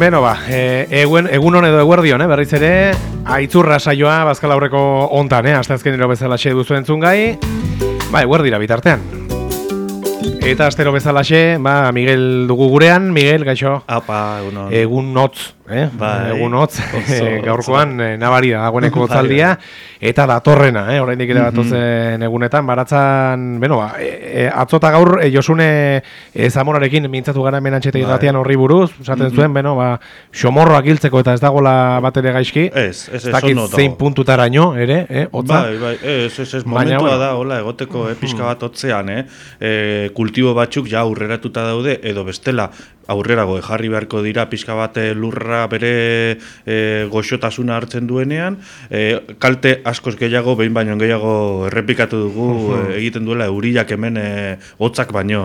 Beno ba, egunon edo eguerdion, berriz ere, aitzurra saioa Bazkal Aurreko hontan, asteazkenero bezalaxe duzu entzun gai, eguerdira bitartean. Eta astero bezalaxe, Miguel dugu gurean, Miguel, gaixo? Apa, egunon. Egun hotz, egun hotz, gaurkoan nabari da, dagoeneko hotzaldia, eta datorrena, oraindik ere datozen egunetan, baratzan, atzota gaur, Josune Zamorarekin mintzatu gara hemen antxetegin batean horri buruz, esaten zuen, xomorroak hiltzeko eta ez dagoela bat ere gaizki, ez dakit zein puntutaraino, ere, hotza? Ez, momentua da, hola, egoteko, pixka bat hotzean, kultibo batzuk ja aurreratuta daude, edo bestela, aurrerago jarri beharko dira pixka bat lurra bere goxotasuna hartzen duenean, kalte askoz gehiago, behin baino gehiago errepikatu dugu egiten duela euriak hemen hotzak baino,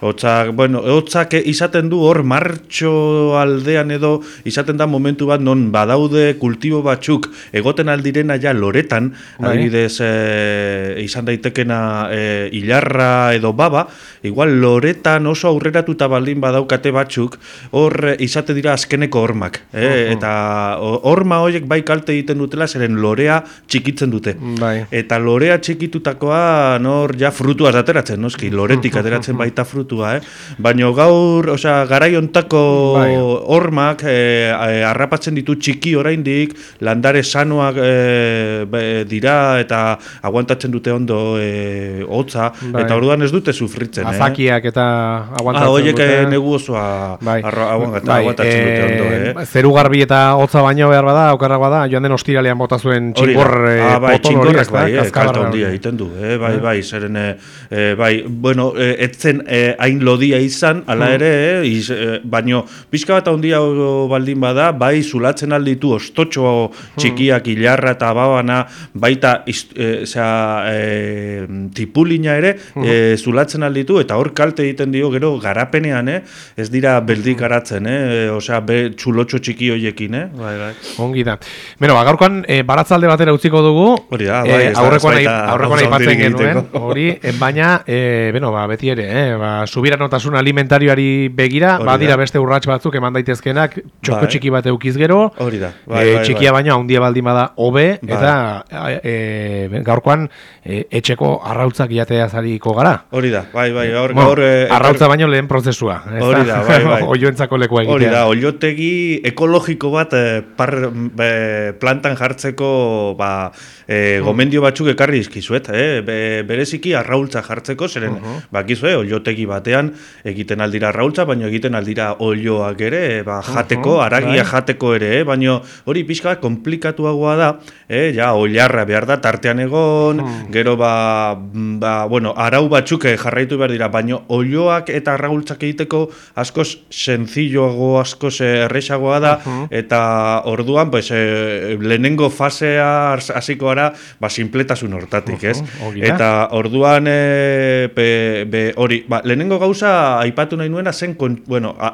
hotzak izaten du hor martxo aldean edo izaten da momentu bat non badaude kultibo batzuk egoten aldirena ja loretan, adibidez izan daitekena ilarra edo baba, igual loretan oso aurreratuta baldin badaukate batzuk, hor izate dira azkeneko hormak. Eta horma horiek bai kalte egiten dutela, zeren lorea txikitzen dute. Eta lorea txikitutakoa nor ja frutua ateratzen, noski, loretik ateratzen baita frutua. Baina gaur, garai hontako hormak harrapatzen ditu txiki oraindik, landare sanoak dira eta aguantatzen dute ondo hotza, eta orduan ez dute sufritzen. Azakiak eta aguantatzen dute. Horiek negu osoa aguantatzen dute ondo. Zeru garbi eta hotza baino behar bada, okarrak bada, joan den ostiralean bota zuen txingor potolo hori, kalta hondia egiten du, zeren, etzen hain lodia izan, ala ere, baino, pixka bat hondia baldin bada, bai zulatzen alditu ostotxo txikiak, ilarra eta babana, baita tipulina ere, zulatzen alditu, eta hor kalte egiten dio, gero garapenean, ez dira beldik garatzen, txulotxo txiki horiekin, Ongi da. Gaurkoan, baratzalde batera utziko dugu, aurrekoan aipatzen genuen, baina, beti ere, subiranotasun alimentarioari begira, badira beste urrats batzuk eman daitezkenak, txoko txiki bat eukiz gero, txikia baina handia baldin bada hobe, eta gaurkoan etxeko arrautzak jatea zariko gara. Hori da, arrautza baino lehen prozesua. Hori da, oioentzako lekua egitea. Hori da, oiotegi ekologiko bat plantan jartzeko gomendio batzuk ekarri izkizuet. Bereziki arraultza jartzeko, zeren bakizue, oiotegi batean egiten aldira arraultza, baina egiten aldira oioak ere, jateko, aragia jateko ere, baina hori pixka komplikatuagoa da, oilarra behar da tartean egon, gero arau batzuk jarraitu behar dira, baina oioak eta arraultzak egiteko askoz sencilloago, askoz erresagoa da, eta orduan lehenengo fasea hasiko gara sinpletasun hortatik, ez? Eta orduan lehenengo gauza aipatu nahi nuena zen,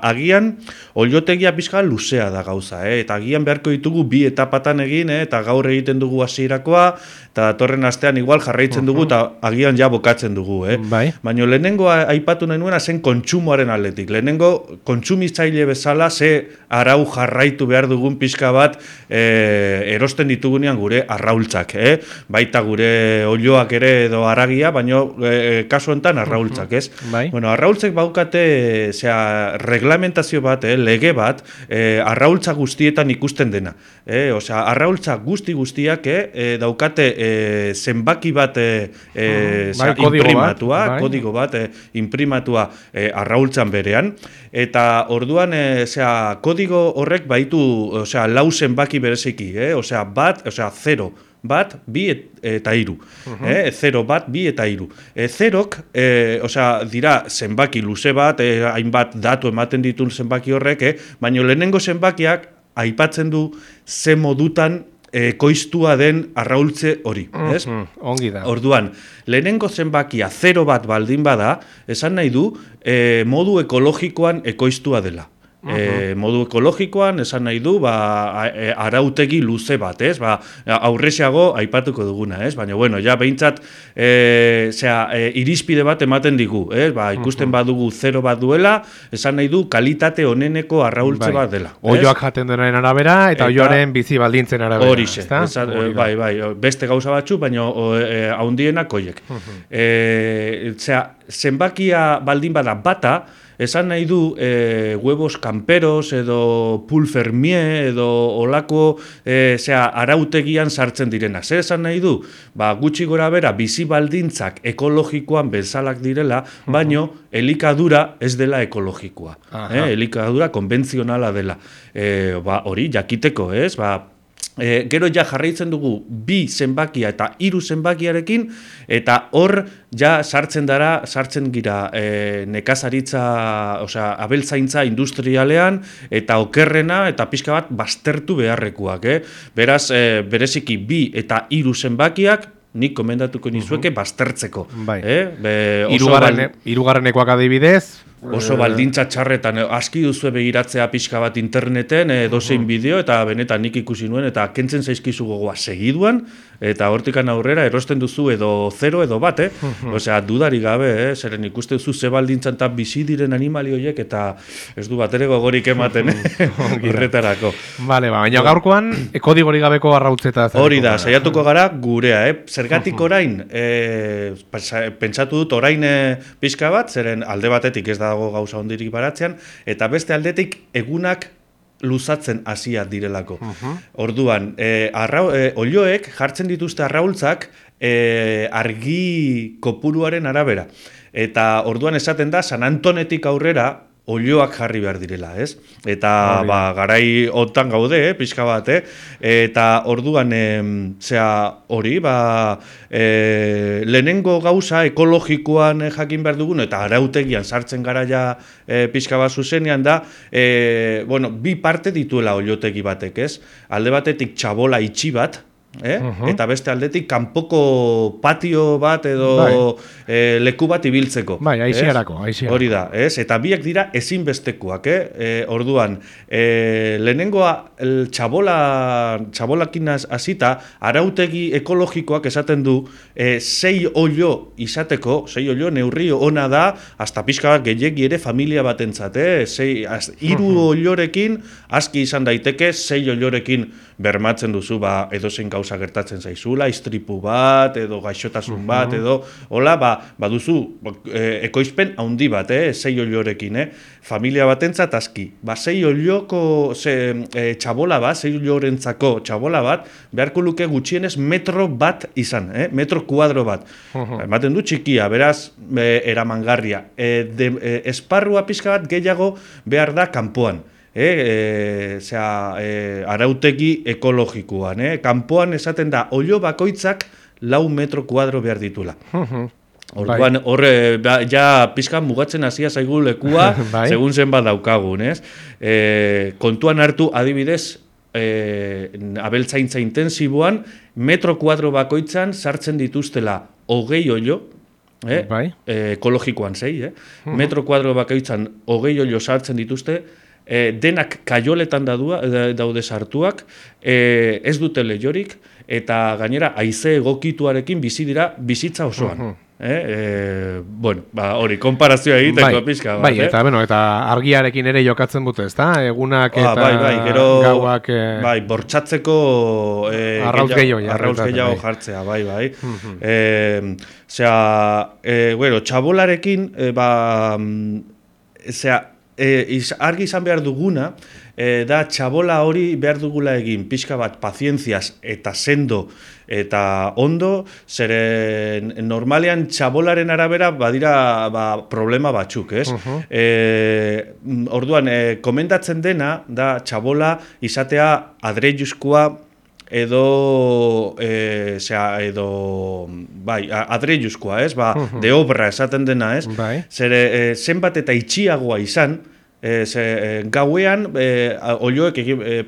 agian oiotegia pixka luzea da gauza, eta agian beharko ditugu bi etapatan egin, eta gaur egiten dugu hasierakoa, eta datorren astean igual jarraitzen dugu, eta agian ja bokatzen dugu, baina lehenengo aipatu nahi nuena zen kontsumoaren aldetik. Lehenengo kontsumitzaile bezala ze arau jarraitu behar dugun pixka bat erosten ditugunean gure arraultzak, baita gure oioak ere edo aragia, baina kasu honetan arraultzak, ez? Arraultzek baukate reglamentazio bat, lege bat, arraultza guztietan ikusten dena. Arraultza guztiak daukate zenbaki bat imprimatua, kodigo bat imprimatua arraultzan berean, eta orduan kodigo horrek baitu lau zenbaki bereziki, zero, bat, bi eta hiru. 0, bat, bi eta hiru. Zerok, dira zenbaki luze bat, hainbat datu ematen ditun zenbaki horrek, baina lehenengo zenbakiak aipatzen du ze modutan ekoiztua den arraultze hori, ez? Ongi da. Orduan, lehenengo zenbakia 0 bat baldin bada, esan nahi du modu ekologikoan ekoiztua dela. Modu ekologikoan, esan nahi du, arautegi luze bat, ez? Aurrexeago aipatuko duguna, ez? Baina, bueno, ja, behintzat, irizpide bat ematen digu, ez? Ikusten badugu 0 bat duela, esan nahi du, kalitate oneneko arraultze bat dela. Oioak jaten denaren arabera, eta oioaren bizi baldintzen arabera. Horixe, bai, beste gauza batzu, baina haundienak oiek. Zenbakia baldin bada bata, esan nahi du huevos camperos edo pulfermie edo olako arautegian sartzen direna. Zer esan nahi du? Gutxi gora bera bizi baldintzak ekologikoan bezalak direla, baino elikadura ez dela ekologikoa. Elikadura konbentzionala dela. Hori jakiteko, ez? Gero ja jarraitzen dugu 2 zenbakia eta 3 zenbakiarekin, eta hor ja sartzen gira nekazaritza, abeltzaintza industrialean, eta okerrena eta pixka bat baztertu beharrekoak. Beraz, bereziki 2 eta 3 zenbakiak, nik komendatuko nizueke baztertzeko. Hirugarrenekoak adibidez, oso baldintza txarretan, aski duzue begiratzea pixka bat interneten, dozein bideo, eta benetan nik ikusi nuen, eta kentzen zaizkizu gogoa segiduan, eta hortikan aurrera erosten duzu edo 0 edo bat, Osea, dudari gabe, zeren ikuste duzu ze baldintzan eta bizi diren animali horiek, eta ez du bat ere gogorik ematen, horretarako. Baina gaurkoan, kodigori gabeko arrautzeta. Hori da, saiatuko gara gurea, zergatik orain, pentsatu dut orain pixka bat, zeren alde batetik ez dago gauza hondirik baratzean, eta beste aldetik egunak luzatzen hasia direlako. Orduan, olioek jartzen dituzte arraultzak argi kopuruaren arabera. Eta orduan esaten da, San Antonetik aurrera, olioak jarri behar direla, ez? Eta garai hotan gaude, pixka bat, eta orduan hori, lehenengo gauza ekologikoan jakin behar dugun, eta arautegian sartzen gara ja pixka bat zuzenean da, 2 parte dituela oliotegi batek, ez? Alde batetik txabola itxi bat, eta beste aldetik kanpoko patio bat edo leku bat ibiltzeko. Aixiarako. Hori da, eta biak dira ezinbestekoak, orduan, lehenengoa txabolakin hasita, arautegi ekologikoak esaten du 6 olio izateko, 6 olio neurri ona da, hasta pixka bat gehiegi ere familia batentzat, 3 oliorekin aski izan daiteke, 6 oliorekin bermatzen duzu, edozein gauza gertatzen zaizula, istripu bat, edo gaixotasun bat, edo, hola, baduzu, ekoizpen haundi bat, 6 oliorekin, familia batentzat aski. 6 olioko txabola bat, 6 oliorentzako txabola bat, beharko luke gutxienez metro bat izan, metro kuadro bat. Ematen du txikia, beraz, eramangarria. Esparrua pixka bat gehiago behar da kanpoan. Arautegi ekologikoan. Kanpoan esaten da, olio bakoitzak 4 metro kuadro behar ditula. Orduan, ja pixka mugatzen hasia zaigu lekua, segun zen bat daukagun. Kontuan hartu adibidez, abeltzaintza intensiboan, metro kuadro bakoitzan sartzen dituztela 20 olio, ekologikoan 6, metro kuadro bakoitzan 20 olio sartzen dituzte, denak kaioletan daude sartuak, ez dute leiorik, eta gainera haize egokituarekin bizi dira bizitza osoan. Hori, konparazioa egiteko pixka. Eta argiarekin ere jokatzen dute, ezta? Egunak eta gauak... bortxatzeko arrauz gehiago jartzea, txabolarekin, argi izan behar duguna, da txabola hori behar dugula egin pixka bat pazientziaz eta sendo eta ondo, zeren normalean txabolaren arabera badira problema batzuk, ez? Orduan, komendatzen dena da txabola izatea adreiuzkoa edo adreiuzkoa, ez? De obra esaten dena, ez? Zere, zenbat eta itxiagoa izan, gauean olioek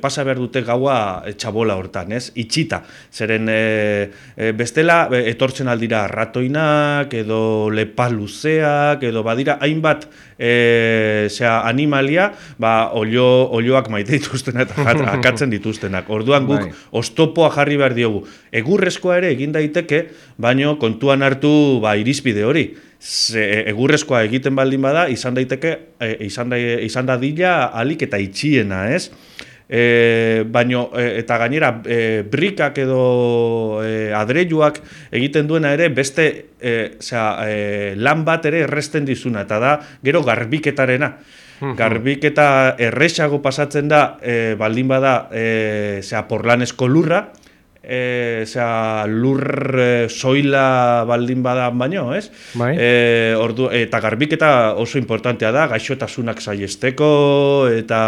pasa behar dute gaua txabola hortan, ez? Itxita. Zeren bestela etortzen aldira ratoinak edo lepaluzeak edo badira hainbat animalia olioak maite dituztenak eta akatzen dituztenak. Orduan guk oztopoa jarri behar diogu. Egurrezkoa ere egin daiteke, baino kontuan hartu irizpide hori. Egurrezkoa egiten baldin bada, izan dadila alik eta itxiena, ez? Baino, eta gainera, brikak edo adreiluak egiten duena ere, beste lan bat ere erresten dizuna, eta da, gero garbiketarena. Garbiketa erresago pasatzen da, baldin bada, porlanezko lurra, lur soila baldin badan baino, ez? Eta garbiketa oso importantea da, gaixotasunak saiesteko, eta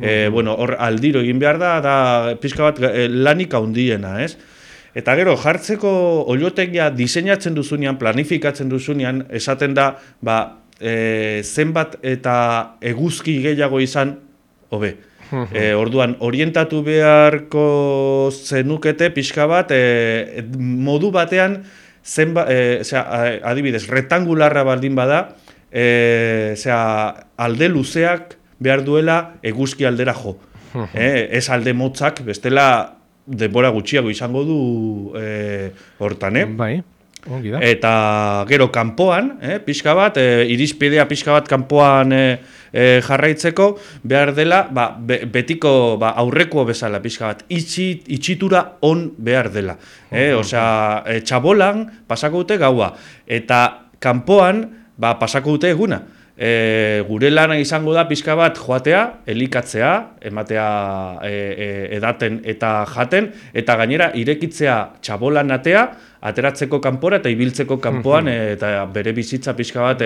hor aldiro egin behar da pixka bat lanik handiena, ez? Eta gero, jartzeko oliotegia diseinatzen duzunean, planifikatzen duzunean, esaten da, zenbat eta eguzki gehiago izan, hobe. Orduan, orientatu beharko zenukete pixka bat, modu batean, adibidez, rektangularra baldin bada, alde luzeak behar duela eguzki aldera jo. Ez alde motzak, bestela denbora gutxiago izango du hortan, Eta gero kanpoan, pixka bat, irizpidea pixka bat kanpoan jarraitzeko, behar dela, betiko aurreko bezala pixka bat, itxitura on behar dela. Txabolan pasako dute gaua, eta kanpoan pasako dute eguna. Gure lana izango da pixka bat joatea, elikatzea, ematea edaten eta jaten, eta gainera irekitzea txabolan atea, ateratzeko kanpora eta ibiltzeko kanpoan eta bere bizitza pixka bat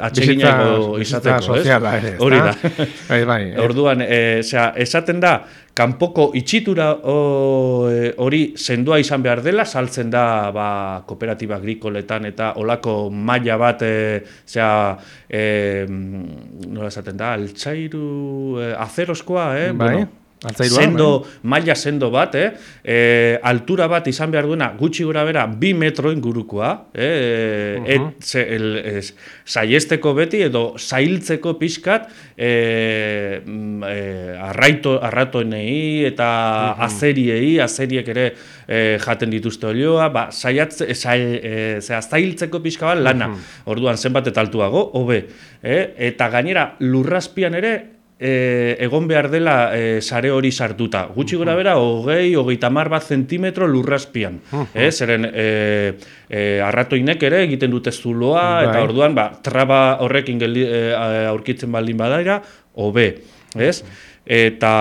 atseginago izateko, ez? Hori da. Orduan, esaten da, kanpoko itxitura hori sendoa izan behar dela, saltzen da kooperatiba agrikoletan eta olako maila bat, nola esaten da, altzairu, azerozkoa, maila sendo bat, altura bat izan behar duena gutxi gora bera 2 metro ingurukoa, saiesteko beti edo zailtzeko pixkat arratoenei eta azeriek ere jaten dituzte olioa, zailtzeko pixka bat lana, orduan zenbat eta altuago, hobe, eta gainera lurrazpian ere egon behar dela sare hori sartuta. Gutxi gora bera, 20-30 zentimetro lurrazpian. Zeren arratoinek ere egiten dute zuloa, eta orduan traba horrekin aurkitzen baldin badaira, hobe. Eta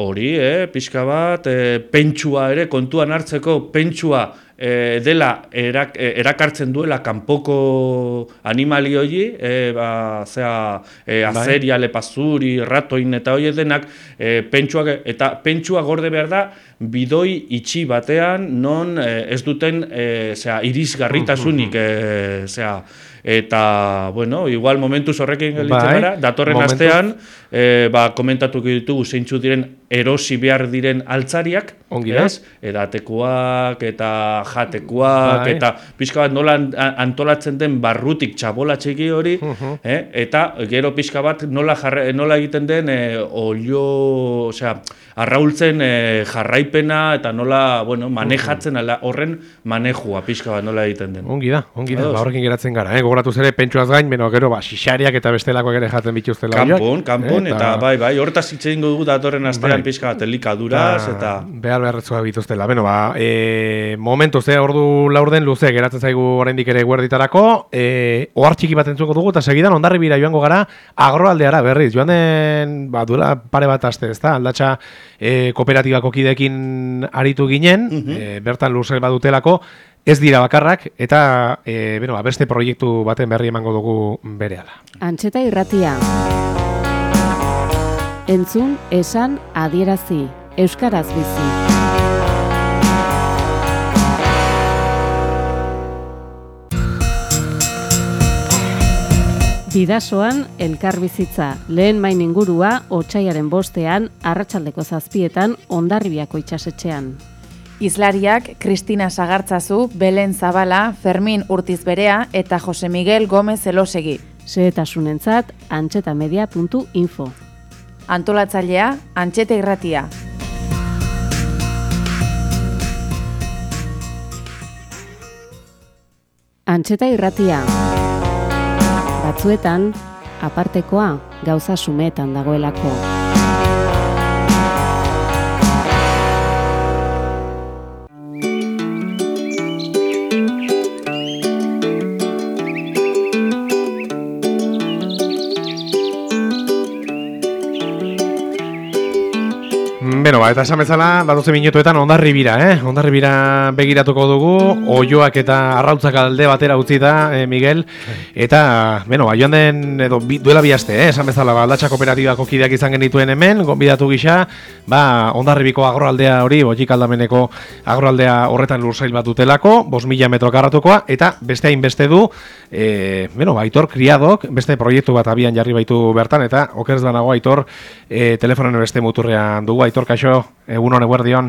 hori, pixka bat, pentsua ere, kontuan hartzeko pentsua dela erakartzen duela kanpoko animali hori, azeria, lepazuri, ratoin eta hori denak, pentsua gorde behar da, bidoi itxi batean, non ez duten irisgarritasunik, eta, igual momentuz horrekin gelditzen gara, datorren astean, komentatuko ditugu zeintzu diren erosi behar diren altzariak, edatekoak eta jatekoak, eta pixka bat nola antolatzen den barrutik txabola txiki hori, eta gero pixka bat nola egiten den olio, arraultzen jarraipena, eta nola manejatzen horren manejua pixka bat nola egiten den. Ongi da, horrekin geratzen gara, gogoratuz ere pentsuaz gain, gero xixariak eta bestelakoak ere jaten bituztela horiak. Kanpon, eta hortaz hitz egingo dugu datorren astean pixka bat elikaduraz, eta... Behar-beharretzoa bituztela. Momentuz, ordu laurden luze geratzen zaigu oraindik ere guerditarako, ohar txiki bat entzuko dugu, eta segidan Hondarribira joango gara agroaldeara berriz. Joan den, duela pare bat aste, ez da? Aldatxa kooperatibako kideekin aritu ginen, bertan luze badutelako, ez dira bakarrak, eta beste proiektu baten berri emango dugu berehala. Antxeta irratia. Entzun, esan, adierazi. Euskaraz bizi. Bidasoan elkarbizitza, lehen main ingurua, otsailaren 5ean, arratsaldeko 7etan, Hondarribiako itsasetxean. Hizlariak Kristina Sagartzazu, Belen Zabala, Fermin Urtizberea eta Jose Miguel Gomez Elosegi. Xehetasunentzat, antxetamedia.info. Antolatzailea, Antxeta Irratia. Antxeta Irratia. Batzuetan, apartekoa gauza sumetan dagoelako. Beno, eta esan bezala, datoze minutuetan Hondarribira, Hondarribira begiratuko dugu, oioak eta arrautzak alde batera utzi da, Miguel, eta, beno, joan den, duela bi aste, esan bezala, Aldatxa Kooperatibako kideak izan genituen hemen, gonbidatu gisa, Hondarribiko agroaldea hori, Botik Aldameneko agroaldea horretan lursail bat dutelako, 5.000 metro karratukoa, eta beste hainbeste du, Aitor Kriadok, beste proiektu bat abian jarri baitu bertan, eta okerez banago Aitor, telefonen beste muturrean dugu, Aitor, kaixo, egunon, eguerdion.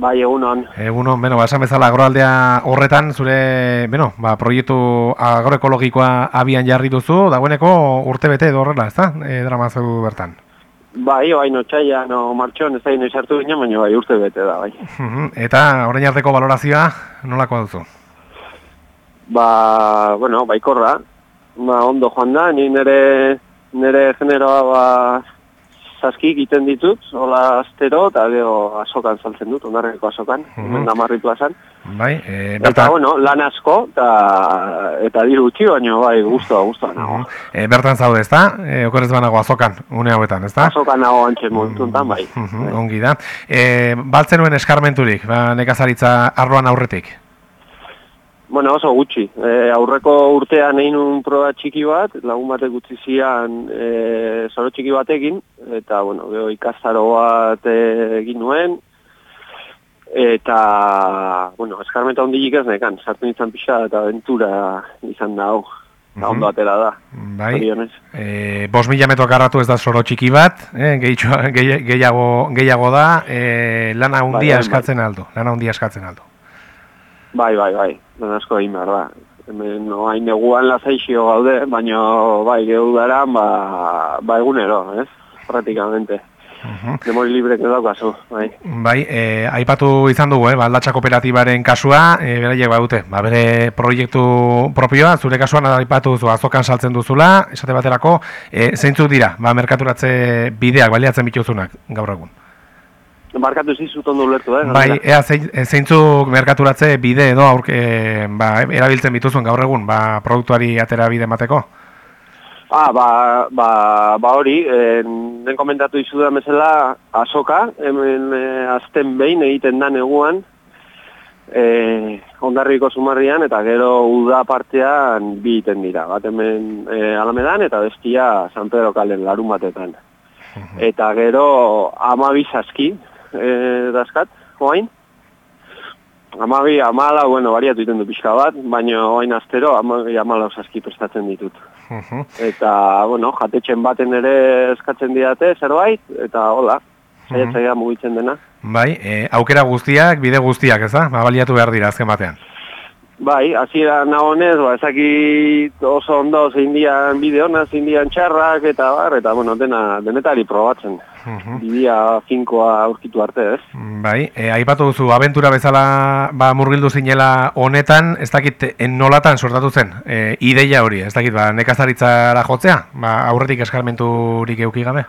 Bai, egunon. Egunon, esan bezala agroaldea horretan, zure, proiektu agroekologikoa abian jarri duzu, dagoeneko urte bete edo horrela, ez da? Dramazu bertan. Bai, otsaila, martxoan, ez da ino izartu ginen, baina bai, urte bete da, bai. Eta orain arteko balorazioa, nolako duzu? Baikorra. Ondo joan da, ni nire generoa, saski egiten ditut, hola astero, eta gero azokan saltzen dut, Hondarribiko azokan, hemen Gamarri plazan. Bai, eta, lan asko, eta diru gutxi, baina bai, guztua nago. Bertan zaude, ez da? Okorez banago azokan, une hauetan, ez da? Azokan nago antxe momentuntan, bai. Ongi da. Baltzen nuen eskarmenturik, nekazaritza arloan aurretik? Oso gutxi. Aurreko urtean egin un proba txiki bat, lagun batek utzi zian zoro txiki batekin, eta, gero ikastaro bat egin nuen, eta, eskarmenta hondilik ez nekan, sartu nintzen pixa eta aventura izan da hau. Ondo atera da. Bai, 5.000 metro karratu ez da zoro txiki bat, gehiago da, lana handia eskatzen aldo, Bai, lan asko egin behar da. Hemen hain neguan lasaixio gaude, baina bai, geudaran, egunero, ez? Praktikamente. Demori librek edaukazu, bai. Bai, aipatu izan dugu, Aldatxa Kooperatibaren kasua, beraiek badute, bere proiektu propioa, zure kasuan aipatu duzu, azokan saltzen duzula, esate baterako, zeintzuk dira, merkaturatze bideak, baliatzen bituzunak, gaur egun? Markatu zizut ondo ulertu, Bai, zeintzuk merkaturatze bide edo erabiltzen bituzuen gaur egun, produktuari atera bide emateko? Hori, den komentatu izudan bezala azoka, hemen azten behin egiten da neguan, Hondarribiko Zumarrian, eta gero uda partean bi egiten dira, bat hemen Alamedan eta bestia San Pedro Kalen larun batetan. Eta gero 12 saski, dazkat, oain. 14, bariatu iten du pixka bat, baina oain astero 14 saski prestatzen ditut. Eta, jatetxen baten ere eskatzen didate zerbait, eta hola, saiatzaia mugitzen dena. Bai, aukera guztiak, bide guztiak, ez da? Baliatu behar dira azken batean. Bai, hasiera nagonez, ezakit oso ondo zein dian bide hona, zein dian txarrak, eta denetari probatzen. Bidea finkoa aurkitu arte, ez? Bai, aipatu duzu, abentura bezala murgildu zinela honetan, ez dakit nolatan sortatu zen, ideia hori, ez dakit, nekazaritzara jotzea, aurretik eskarmenturik euki gabe?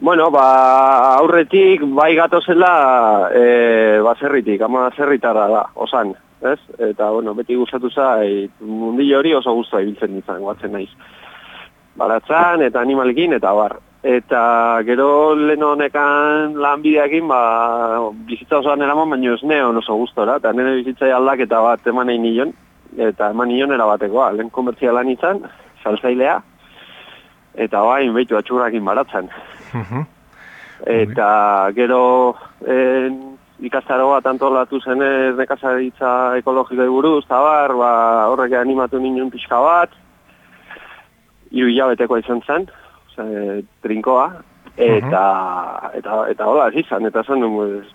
Aurretik bai gatozela baserritik, ama zerritarra da, osan, ez? Eta, beti gustatu zait, mundillo hori oso guztua ibiltzen nintzen, guatzen naiz. Baratzan eta animalekin eta bar. Eta gero lehen honekan lanbideakin, bizitza osoan eraman, baina ez neon oso gustora, eta nire bizitzai aldaketa bat eman egin nion, eta eman nion erabatekoa, lehen komertzialan izan, saltzailea, eta bain behitu atxurrakin baratzen. Eta gero ikastaro bat antolatu zenez nekazaritza ekologikoi buruz, eta horrek animatu nion pixka bat, 3 hilabetekoa izan zen, trinkoa, eta hola, ez izan, eta zen,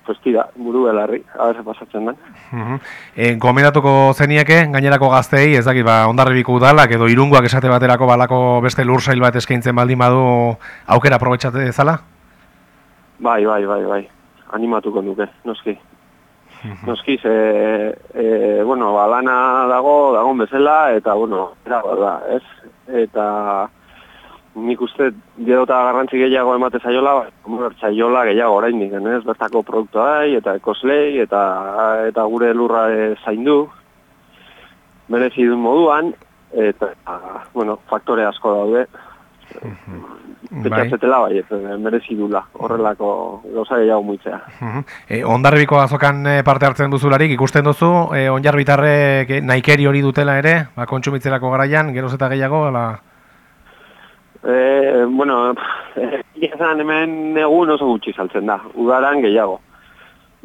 pues tira, buru belarri, haber pasatzen den. Gomendatuko zenieke, gainerako gazteei, ez dakit, Hondarribiko udalak edo Irungoak esate baterako balako beste lursail bat eskaintzen baldin badu aukera aprobetxate dezala? Bai, animatuko nuke, noski. Noski, lana dagoen bezala, eta, da, ez? Eta nik uste gero eta garrantzi gehiago emate zaiola, zaiola gehiago oraindik, ez? Bertako produktuai, eta ekoslei, eta gure lurra zaindu, merezi duen moduan, eta, faktore asko daude. Petxatzetela merezi dula, horrelako gauza gehiago muitzea. Hondarribiko azokan parte hartzen duzularik, ikusten duzu, hondarbitarrek nahikeri hori dutela ere, kontsumitzerako garaian, geroz eta gehiago, Iazan hemen egun oso gutxi saltzen da, udaran gehiago.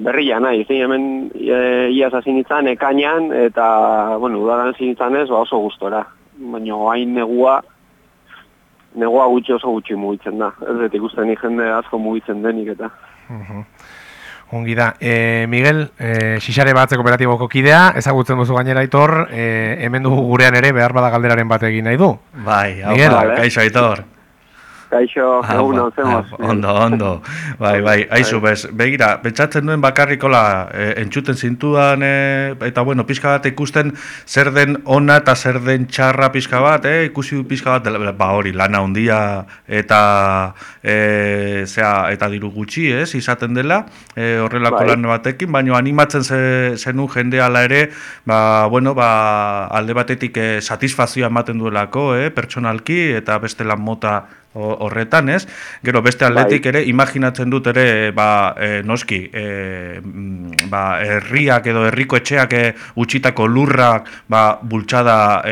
Berria nahi, hemen iaz hazin izan ekainan, eta, udaran hazin izan ez, oso gustora. Baina hain negua gutxi oso gutxi mugitzen da. Ez dut ikusten jende asko mugitzen denik eta. Ongi da. Miguel, Xixare Batze kooperatiboko kidea, ezagutzen duzu gainera Aitor, hemen dugu gurean ere behar bada galderaren bat egin nahi du. Bai, kaixo Aitor. Kaixo, egun zemoz. Ondo. Bai, aizu, begira, pentsatzen duen bakarrikola entzuten zintudan, eta pixka bat ikusten zer den ona eta zer den txarra pixka bat, ikusi pixka bat, hori, lana handia eta diru gutxi, izaten dela, horrelako lan batekin, baina animatzen zenun jende ala ere, alde batetik satisfazioa ematen duelako, pertsonalki, eta beste lan mota horretan, ez? Gero beste aldetik ere, imaginatzen dut ere, noski, herriak edo herriko etxeak utxitako lurrak bultzada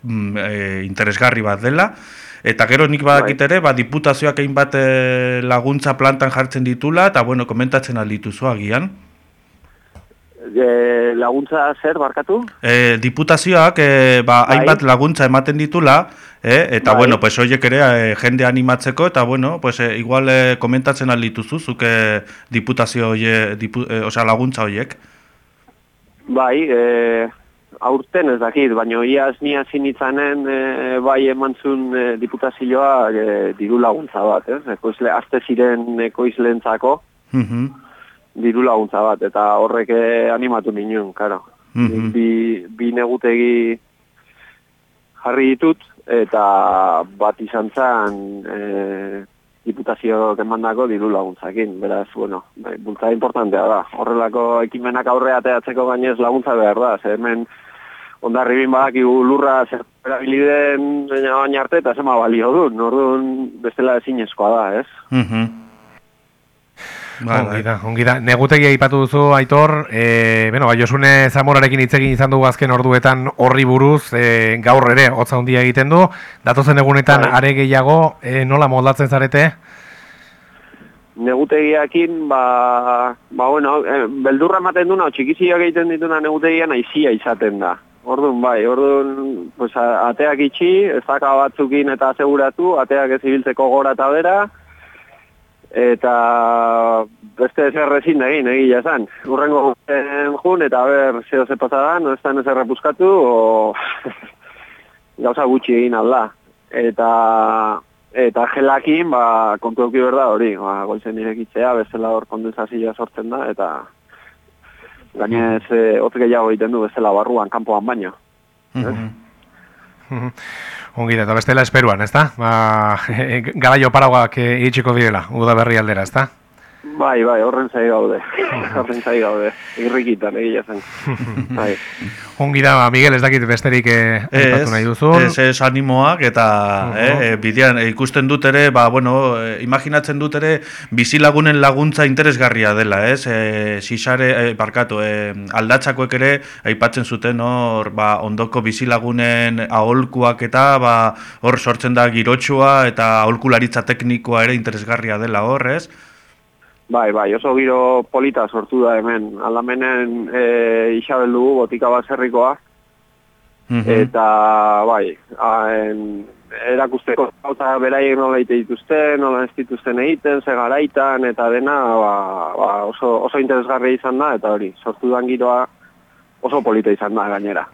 interesgarri bat dela, eta gero nik badakit ere, diputazioak egin bat laguntza plantan jartzen ditula, eta komentatzen aldituzu agian. Laguntza zer, barkatu? Diputazioak hainbat laguntza ematen ditula, eta horiek ere jende animatzeko, eta igual komentatzen aldituzu, zuke diputazio laguntza horiek? Bai, aurten ez dakit, baina iaz ni hasi nitzanen bai emantzun diputazioa diru laguntza bat, azte ziren ekoizleentzako, diru laguntza bat, eta horrek animatu ninen, karo. Bi negutegi jarri ditut, eta bat izan zen diputazioak emandako diru laguntzakin. Beraz, bultzada importantea da. Horrelako ekimenak aurrea ateatzeko gainez laguntza behar da. Hemen Hondarribin badakigu lurra zer erabiliden baina arte eta zema balio du. Orduan bestela ezinezkoa da, ez? Ongi da. Negutegia aipatu duzu, Aitor, Josune Zamorarekin hitz egin izan dugu azken orduetan horri buruz, gaur ere, hotza handia egiten du, datozen egunetan are gehiago, nola moldatzen zarete? Negutegiakin, beldurra ematen duna, txikizioak egiten dituna negutegian aizia izaten da. Orduan, ateak itxi, ezaka batzukin eta aseguratu, ateak ez ibiltzeko gora eta bera, eta beste ezer ezin egin, egia esan. Urrengo jun, eta zeo ze pasadan, ez da ezer repuskatu, gauza gutxi egin alda. Eta gelakin, kontu euki berda hori, goizen irekitzea, bestela hor kondensazioa sortzen da, eta gainez hotz gehiago egiten du bestela barruan, kanpoan baino. Ongi da, eta bestela esperuan, ez da? Garaio paragoak itxiko direla, udaberri aldera, ez da? Bai, horren zai gaude. Irrikitan, egia zen. Ongi da, Miguel, ez dakit besterik aipatu nahi duzun. Ez animoak, eta bidean ikusten dut ere, imaginatzen dut ere, bizilagunen laguntza interesgarria dela, ez? Xixare, aldatzakoek ere, aipatzen zuten hor, ondoko bizilagunen aholkuak eta, hor sortzen da girotxua, eta aholkularitza teknikoa ere interesgarria dela hor, ez? Bai, oso giro polita sortu da hemen. Aldamenen isabel dugu, botika baserrikoa. Eta, erakusteko eta beraiek nola egite dituzten, nola ez dituzten egiten, ze garaitan, eta dena oso interesgarria izan da, eta hori, sortu dan giroa oso polita izan da gainera.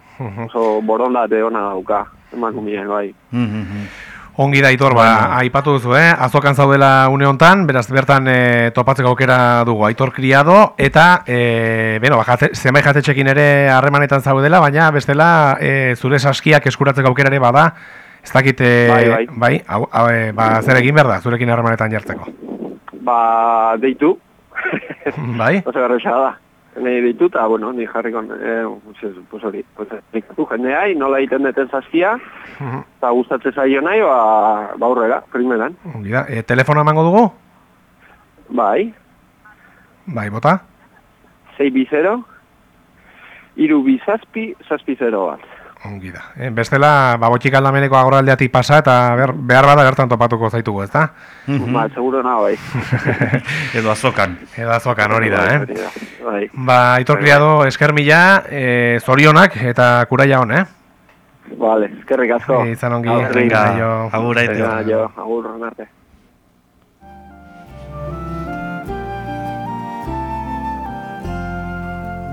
Oso borondate ona dauka, emakumeen bai. Ongi da, Aitor, aipatu duzu, azokan zaudela une hontan, beraz bertan topatzeko aukera dugu, Aitor Criado, eta zenbait jatetxekin ere harremanetan zaudela, baina bestela zure saskiak eskuratzeko aukera ere bada, ez dakit, zer egin behar da, zurekin harremanetan jartzeko? Deitu. Bai? Oso garrotxa da. Nei deitu, eta, ni jarriko, ikatu jendeai, nola egiten deten saskia, eta gustatzen zaio nahi, aurrera, primeran. Telefono emango dugu? Bai. Bai, bota? 620 327 bat. Ongi da. Bestela, botxik aldameneko agoraldeatik pasa, eta behar bada bertan topatuko zaitugu, ez da? Seguro nago, bai. Edo azokan. Hori da, Bai. Aitor Criado, esker mila, zorionak eta kuraia hon, Vale, eskerrik asko. Izan ongi. Agur, Aitor. Agur, arte.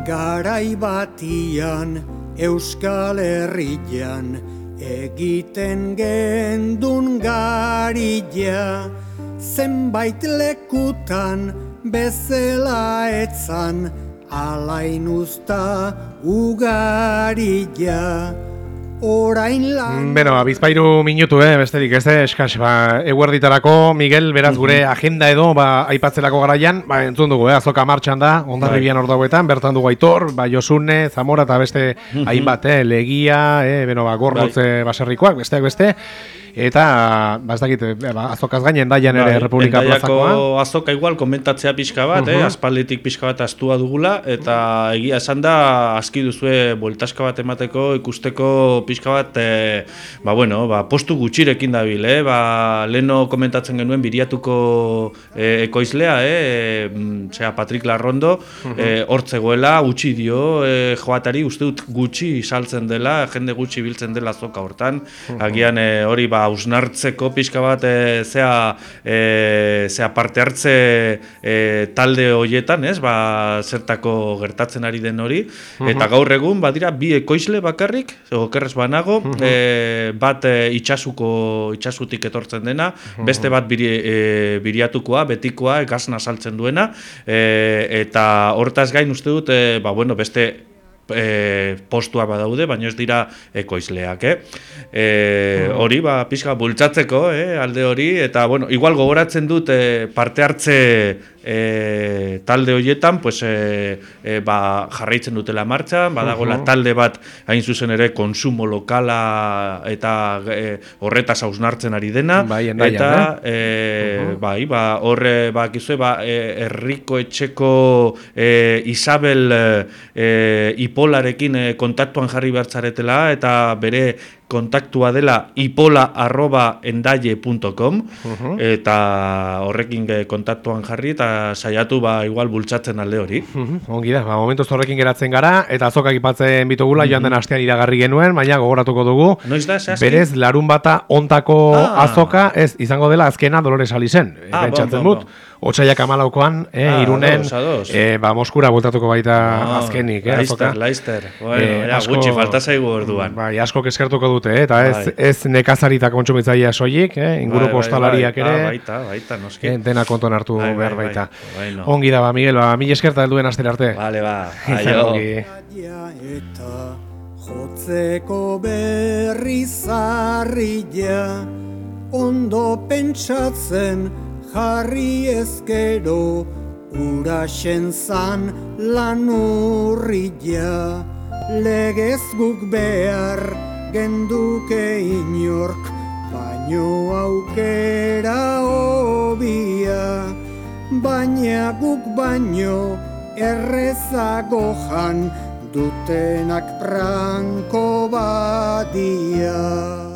Garai batian Euskal Herrian egiten gendun garilla, zenbait lekutan bezala etzan alain usta ugarilla. Orain lan... Bizpairu minutu, besterik ez, eskaz, eguerditarako, Miguel, beraz gure agenda edo, aipatzelako garaian, entzun dugu, azoka martxan da, Hondarribian ordauetan, bertan dugu Aitor, Josune, Zamora, eta beste hainbat, Legia, Gorrotze baserrikoak, besteak beste, eta, ez dakit, azokaz gainen daian ere Republika Plazakoa. Azoka igual, komentatzea pixka bat, aspalditik pixka bat astua dugula, eta egia esan da, aski duzue, bueltaska bat emateko, ikusteko pixka bat, postu gutxirekin dabil, leheno komentatzen genuen biriatuko ekoizlea, Patrik Larrondo, hortzegoela, gutxi dio, joatari, uste dut gutxi saltzen dela, jende gutxi biltzen dela azoka hortan, agian hori hausnartzeko pixka bat zea parte hartze talde horietan, zertako gertatzen ari den hori, eta gaur egun badira bi ekoizle bakarrik, okerrez banago, bat itxasutik etortzen dena, beste bat biriatukoa, betikoa, gazna saltzen duena, eta hortaz gain uste dut, beste postua badaude, baina ez dira ekoizleak, hori, pixka bultzatzeko, alde hori, eta, igual gogoratzen dut parte hartze talde horietan, jarraitzen dutela martxan, badagoela talde bat, hain zuzen ere, konsumo lokala eta horretaz hausnartzen ari dena, eta, horre, herriko etxeko Isabel Ipolarekin kontaktuan jarri behartzaretela, eta bere kontaktua dela ipola@endaile.com, eta horrekin kontaktuan jarri eta saiatu igual bultzatzen alde hori. Ongi da, momentuz horrekin geratzen gara, eta azokak ipatzen bitugula, joan den astean iragarri genuen, baina gogoratuko dugu. Noiz da, zehazki? Berez, larun bata ontako azoka, ez izango dela azkena Dolores Alizen. Pentsatzen dut, Otsaiak 14an, Irunen, Moskura bultatuko baita azkenik. Laizter. Gutxi falta zaigu orduan. Asko eskertuko dute, eta ez nekazarita kontsumitzailea soilik, inguruko ostalariak ere, dena konton hartu behar baita. Ongi da, Miguel, mila eskerta helduen astera arte. Vale, aio. Jotzeko berri zarria, ondo pentsatzen jarri ezkero, uraxen zan lan urria. Legez guk behar genduke inork, baino aukera hobia, baina guk baino errezago jan dutenak branko badia.